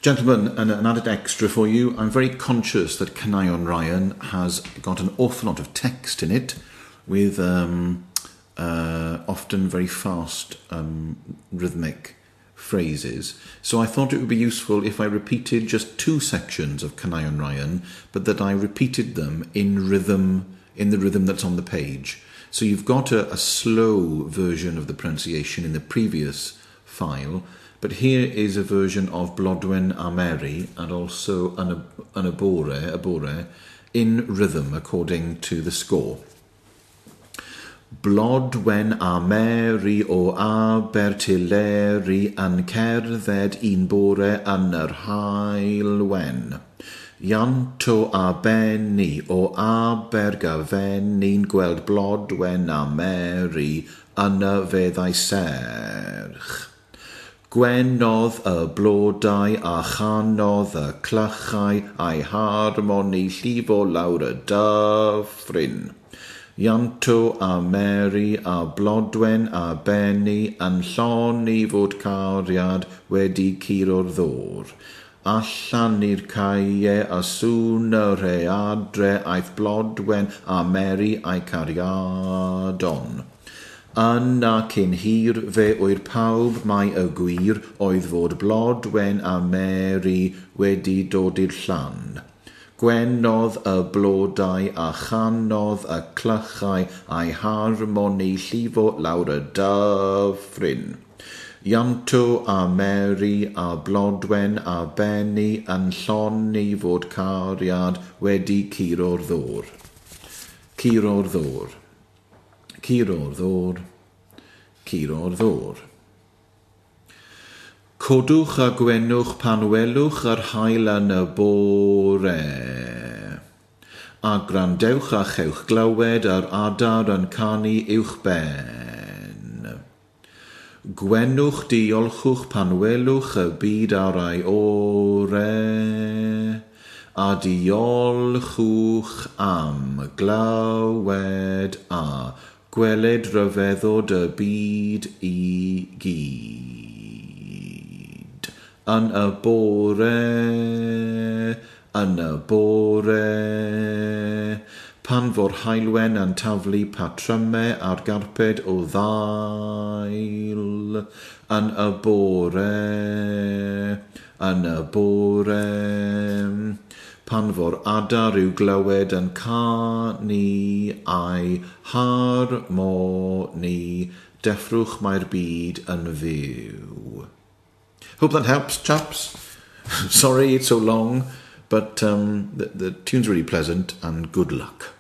Gentlemen, an added extra for you. I'm very conscious that Caneuon Ryan has got an awful lot of text in it, with often very fast rhythmic phrases. So I thought it would be useful if I repeated just two sections of Caneuon Ryan, but that I repeated them in rhythm, in the rhythm that's on the page. So you've got a slow version of the pronunciation in the previous file, but here is a version of Blodwen a Mary and also Yn y bore, in rhythm according to the score. Blodwen a Mary o Abertyleri yn cerdded un bore yn yr haul wen. Ianto a Benni o Abergafenni'n gweld Blodwen a Mary yn y feddau serch. Gwenodd y blodau a chanodd y clychau a'i harmoni llifo lawr y dyffryn. Ianto a Mary a Blodwen a Benni yn llonni fod cariad wedi curo'r ddôr. Allan i'r caeau a sŵn y rhaeadre aeth Blodwen a Mary a'i cariadon. Yna cyn hir fe ŵyr pawb mai y gwir oedd fod Blodwen a Mary wedi dod i'r llan. Gwenodd y blodau a chanodd y clychau a'i harmoni llifo lawr y dyffryn. Ianto a Mary a Blodwen a Benni yn llonni fod cariad wedi curo'r ddôr. Curo'r ddôr. Curo'r ddôr. Curo'r ddôr. Codwch a gwenwch pan welwch yr haul yn y bore. A gwrandewch a chewch glywed yr adar yn canu uwchben. Gwenwch diolchwch pan welwch y byd ar ei ore. A diolchwch am glywed a gweled rhyfeddod y byd i gyd. Yn y bore, yn y bore, pan fo'r haulwen yn taflu patrymau ar garped o ddail. Yn y bore, yn y bore, pan fo'r adar i'w glywed yn canu a'i harmoni, deffrwch mae'r byd yn fyw. Hope that helps, chaps. Sorry it's so long, but the tune's really pleasant, and good luck.